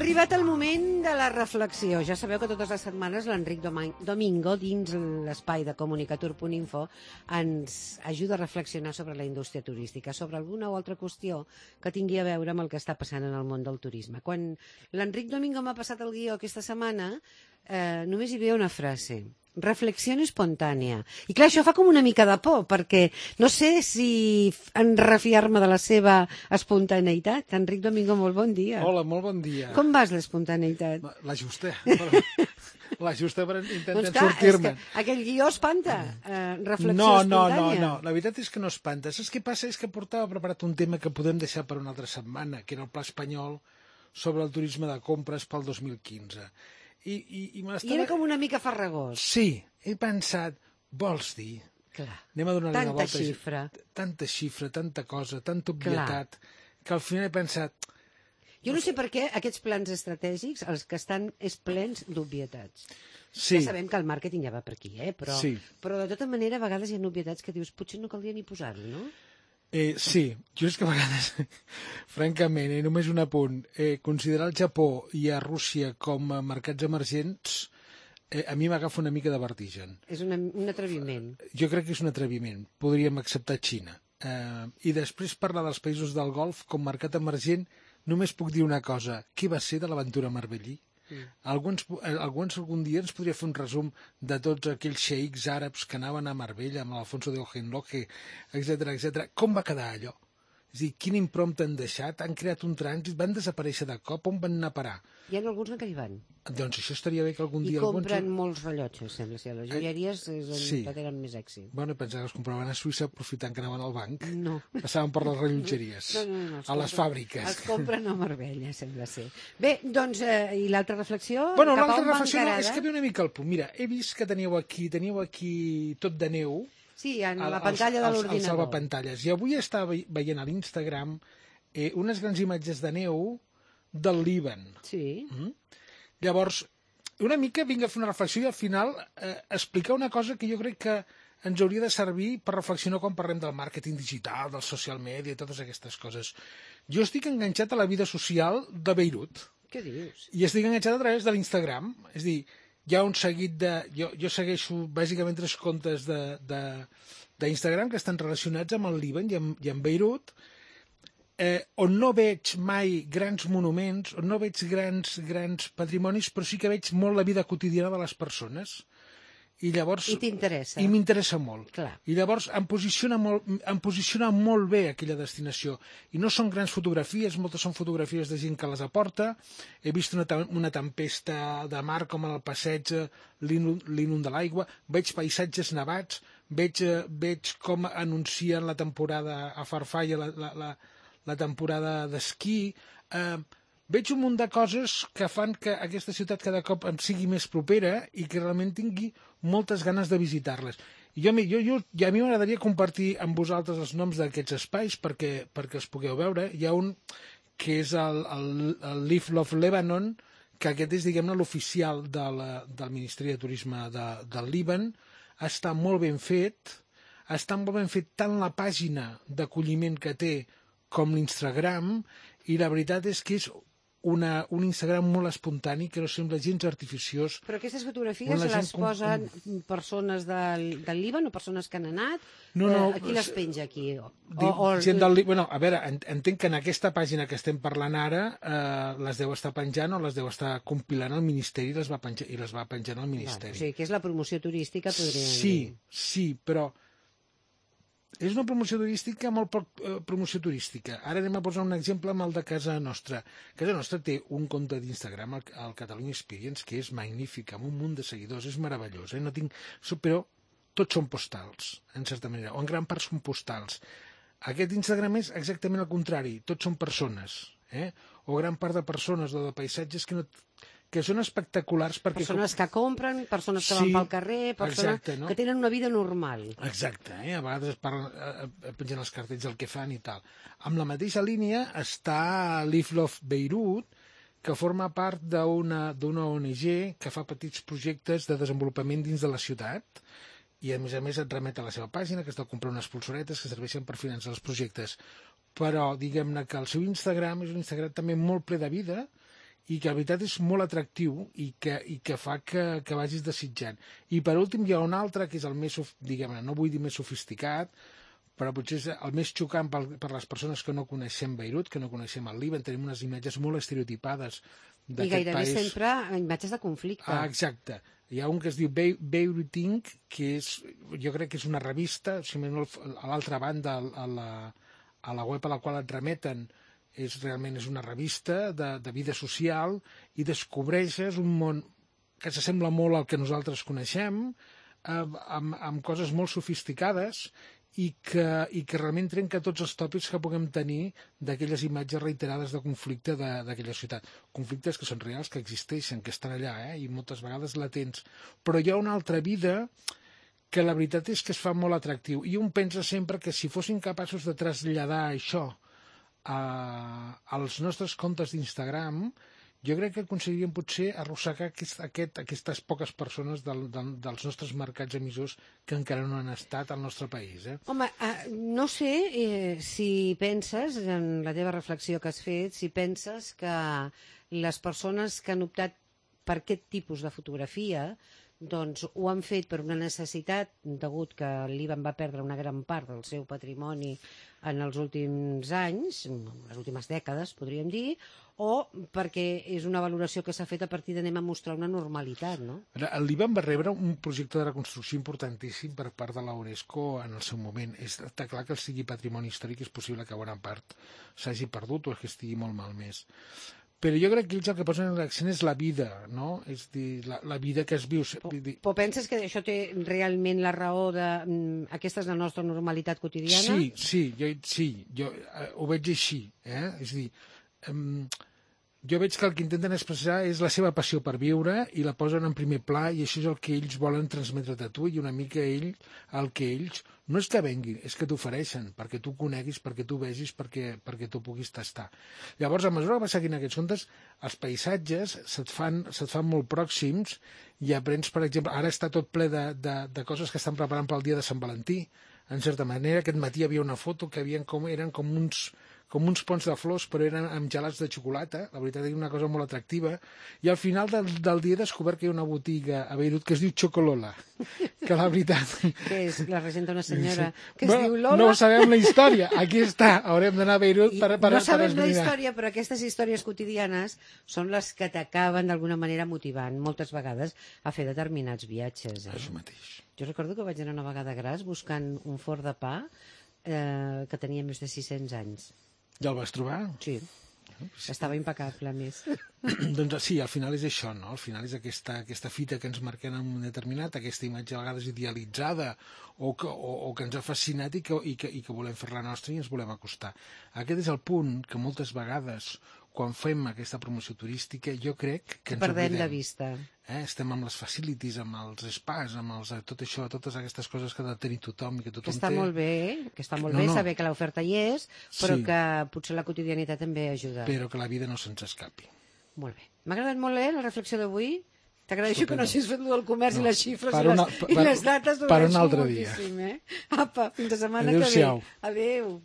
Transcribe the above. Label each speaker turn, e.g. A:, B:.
A: arribat el moment de la reflexió. Ja sabeu que totes les setmanes l'Enric Domingo, dins l'espai de comunicatur.info, ens ajuda a reflexionar sobre la indústria turística, sobre alguna o altra qüestió que tingui a veure amb el que està passant en el món del turisme. Quan l'Enric Domingo m'ha passat el guió aquesta setmana, només hi havia una frase: reflexió espontània. I clar, això fa com una mica de por, perquè no sé si en refiar-me de la seva espontaneïtat. Enric Domingo, molt bon dia.
B: Hola, molt bon dia.
A: Com vas, l'espontaneïtat?
B: La justa per intentar sortir-me.
A: Aquell guió espanta. Reflexió espontània.
B: No, la veritat és que no espanta. Saps què passa? És que portava preparat un tema que podem deixar per una altra setmana, que era el Pla Espanyol sobre el turisme de compres pel 2015. I
A: era com una mica farragós.
B: Sí, he pensat, vols dir?
A: Clar.
B: Anem a donar-li una volta.
A: Tanta
B: xifra, tanta cosa, tanta obvietat, que al final he pensat...
A: Jo no sé per què aquests plans estratègics, els que estan, és plens d'obvietats.
B: Sí.
A: Ja sabem que el màrqueting ja va per aquí, però de tota manera a vegades hi ha obvietats que dius potser no caldria ni posar-ho, no?
B: Sí, jo és que a vegades, francament, només un apunt, considerar el Japó i a Rússia com a mercats emergents, a mi m'agafa una mica de vertigen.
A: És un atreviment.
B: Jo crec que és un atreviment. Podríem acceptar Xina. I després parlar dels països del Golf com mercat emergent, només puc dir una cosa: què va ser de l'aventura Marbellí? Algun dia ens podria fer un resum de tots aquells xeics àrabs que anaven a Marbella amb l'Alfonso de Hohenlohe, etc. Com va quedar allò? És a dir, quina impronta han deixat? Han creat un trànsit? Van desaparèixer de cop? On van anar a parar?
A: Hi ha alguns que hi van.
B: Doncs això estaria bé que algun dia...
A: I compren molts rellotges, sembla ser. Les joieries és on tot eren més èxit.
B: Bueno, pensava que els compraven a Suïssa aprofitant que anaven al banc.
A: No.
B: Passaven per les rellotgeries.
A: No.
B: A les fàbriques.
A: Els compren a Marbella, sembla ser. Bé, doncs, i l'altra reflexió?
B: Bueno, l'altra reflexió és que ve una mica al punt. Mira, he vist que teníeu aquí tot de neu.
A: Sí, en la pantalla de l'ordinador.
B: El salvapantalles. I avui estava veient a l'Instagram unes grans imatges de neu del Líban.
A: Sí.
B: Llavors, una mica vinc a fer una reflexió i al final explicar una cosa que jo crec que ens hauria de servir per reflexionar quan parlem del màrqueting digital, del social media i totes aquestes coses. Jo estic enganxat a la vida social de Beirut.
A: Què dius?
B: I estic enganxat a través de l'Instagram. És a dir, hi ha un seguit de... Jo segueixo bàsicament 3 comptes d'Instagram que estan relacionats amb el Líban i amb Beirut, on no veig mai grans monuments, on no veig grans patrimonis, però sí que veig molt la vida quotidiana de les persones. I llavors...
A: I t'interessa.
B: I m'interessa molt.
A: Clar.
B: I llavors em posiciona molt bé aquella destinació. I no són grans fotografies, moltes són fotografies de gent que les aporta. He vist una tempesta de mar com el passeig, l'inund de l'aigua, veig paisatges nevats, veig com anuncien la temporada a Farfalla, la temporada d'esquí. Veig un munt de coses que fan que aquesta ciutat cada cop em sigui més propera i que realment tingui moltes ganes de visitar-les. I a mi m'agradaria compartir amb vosaltres els noms d'aquests espais perquè els pugueu veure. Hi ha un que és el Live Love Lebanon, que aquest és, diguem-ne, l'oficial del Ministeri de Turisme del Líban. Està molt ben fet. Està molt ben fet tant la pàgina d'acolliment que té com l'Instagram, i la veritat és que és un Instagram molt espontani, que no sembla gens artificiós.
A: Però aquestes fotografies les posen persones del Líban o persones que han anat?
B: No.
A: Qui les penja aquí?
B: Gent del Líban. Bueno, a veure, entenc que en aquesta pàgina que estem parlant ara les deu estar penjant o les deu estar compilant el Ministeri i les va penjant al Ministeri.
A: O sigui, que és la promoció turística, podríem dir.
B: Sí, però és una promoció turística molt poc promoció turística. Ara anem a posar un exemple amb el de Casa Nostra. Casa Nostra té un compte d'Instagram, el Catalunya Experience, que és magnífic, amb un munt de seguidors, és meravellós. Però tots són postals, en certa manera, o en gran part són postals. Aquest Instagram és exactament el contrari, tots són persones, o gran part de persones o de paisatges que són espectaculars perquè...
A: Persones que compren, persones que van pel carrer, persones que tenen una vida normal.
B: Exacte, a vegades pengen els cartells del que fan i tal. Amb la mateixa línia està Live Love Beirut, que forma part d'una ONG que fa petits projectes de desenvolupament dins de la ciutat, i a més et remet a la seva pàgina, que has de comprar unes pulsoretes que serveixen per finançar els projectes. Però diguem-ne que el seu Instagram és un Instagram també molt ple de vida, i que la veritat és molt atractiu i que fa que vagis desitjant. I per últim hi ha un altre que és el més, diguem-ne, no vull dir més sofisticat, però potser és el més xocant per les persones que no coneixem Beirut, que no coneixem el Líban. Tenim unes imatges molt estereotipades d'aquest país.
A: I gairebé sempre imatges de conflicte.
B: Exacte. Hi ha un que es diu Beirut Inc., que jo crec que és una revista, si no, a l'altra banda, a la web a la qual et remeten, realment és una revista de vida social, i descobreixes un món que s'assembla molt al que nosaltres coneixem, amb coses molt sofisticades, i que realment trenca tots els tòpics que puguem tenir d'aquelles imatges reiterades de conflicte d'aquella ciutat. Conflictes que són reals, que existeixen, que estan allà, i moltes vegades latents. Però hi ha una altra vida que la veritat és que es fa molt atractiu. I un pensa sempre que si fossin capaços de traslladar això als nostres comptes d'Instagram, jo crec que aconseguiríem potser arrossegar aquestes poques persones dels nostres mercats emissors que encara no han estat al nostre país.
A: Home, no sé si penses, en la teva reflexió que has fet, si penses que les persones que han optat per aquest tipus de fotografia doncs ho han fet per una necessitat, degut que l'Ivan va perdre una gran part del seu patrimoni en els últims anys, les últimes dècades, podríem dir, o perquè és una valoració que s'ha fet a partir d'anem a mostrar una normalitat, no?
B: L'Ivan va rebre un projecte de reconstrucció importantíssim per part de la UNESCO en el seu moment. Està clar que sigui patrimoni històric, és possible que bona part s'hagi perdut o que estigui molt malmès. Però jo crec que ells el que posen en l'accent és la vida, no? És dir, la vida que es viu.
A: Però penses que això té realment la raó de... aquesta és la nostra normalitat quotidiana?
B: Sí, jo ho veig així. És a dir, jo veig que el que intenten expressar és la seva passió per viure i la posen en primer pla, i això és el que ells volen transmetre a tu, i una mica el que ells no és que venguin, és que t'ofereixen perquè tu coneguis, perquè tu vegis, perquè tu puguis tastar. Llavors, a mesura que vas seguint aquests comptes, els paisatges se't fan molt pròxims, i aprens, per exemple, ara està tot ple de coses que estan preparant pel dia de Sant Valentí. En certa manera, aquest matí hi havia una foto que eren com uns ponts de flors, però eren amb gelats de xocolata. La veritat és una cosa molt atractiva. I al final del dia he descobert que hi ha una botiga a Beirut que es diu Chocolola, que la veritat...
A: Què és? La regenta una senyora que es diu Lola?
B: No sabem la història. Aquí està. Haurem d'anar a Beirut per
A: no sabem la història, però aquestes històries quotidianes són les que t'acaben d'alguna manera motivant moltes vegades a fer determinats viatges.
B: Això mateix.
A: Jo recordo que vaig anar una vegada a Gras buscant un forn de pa que tenia més de 600 anys.
B: Ja el vas trobar?
A: Sí. Estava impecable, a més.
B: Doncs sí, al final és això, no? Al final és aquesta fita que ens marquem en un determinat, aquesta imatge a vegades idealitzada o que ens ha fascinat i que volem fer-la nostra i ens volem acostar. Aquest és el punt que moltes vegades, quan fem aquesta promoció turística, jo crec que ens
A: perdem de vista.
B: Estem amb les facilities, amb els spas, amb tot això, totes aquestes coses que ha de tenir tothom i que tothom té.
A: Que està molt bé, saber que l'oferta hi és, però que potser la quotidianitat també ajuda.
B: Però que la vida no se'ns escapi.
A: Molt bé. M'ha agradat molt la reflexió d'avui. T'agraeixo que no hagis fet del comerç i les xifres i les dates.
B: Per un altre dia.
A: Apa, fins la setmana que ve. Adéu.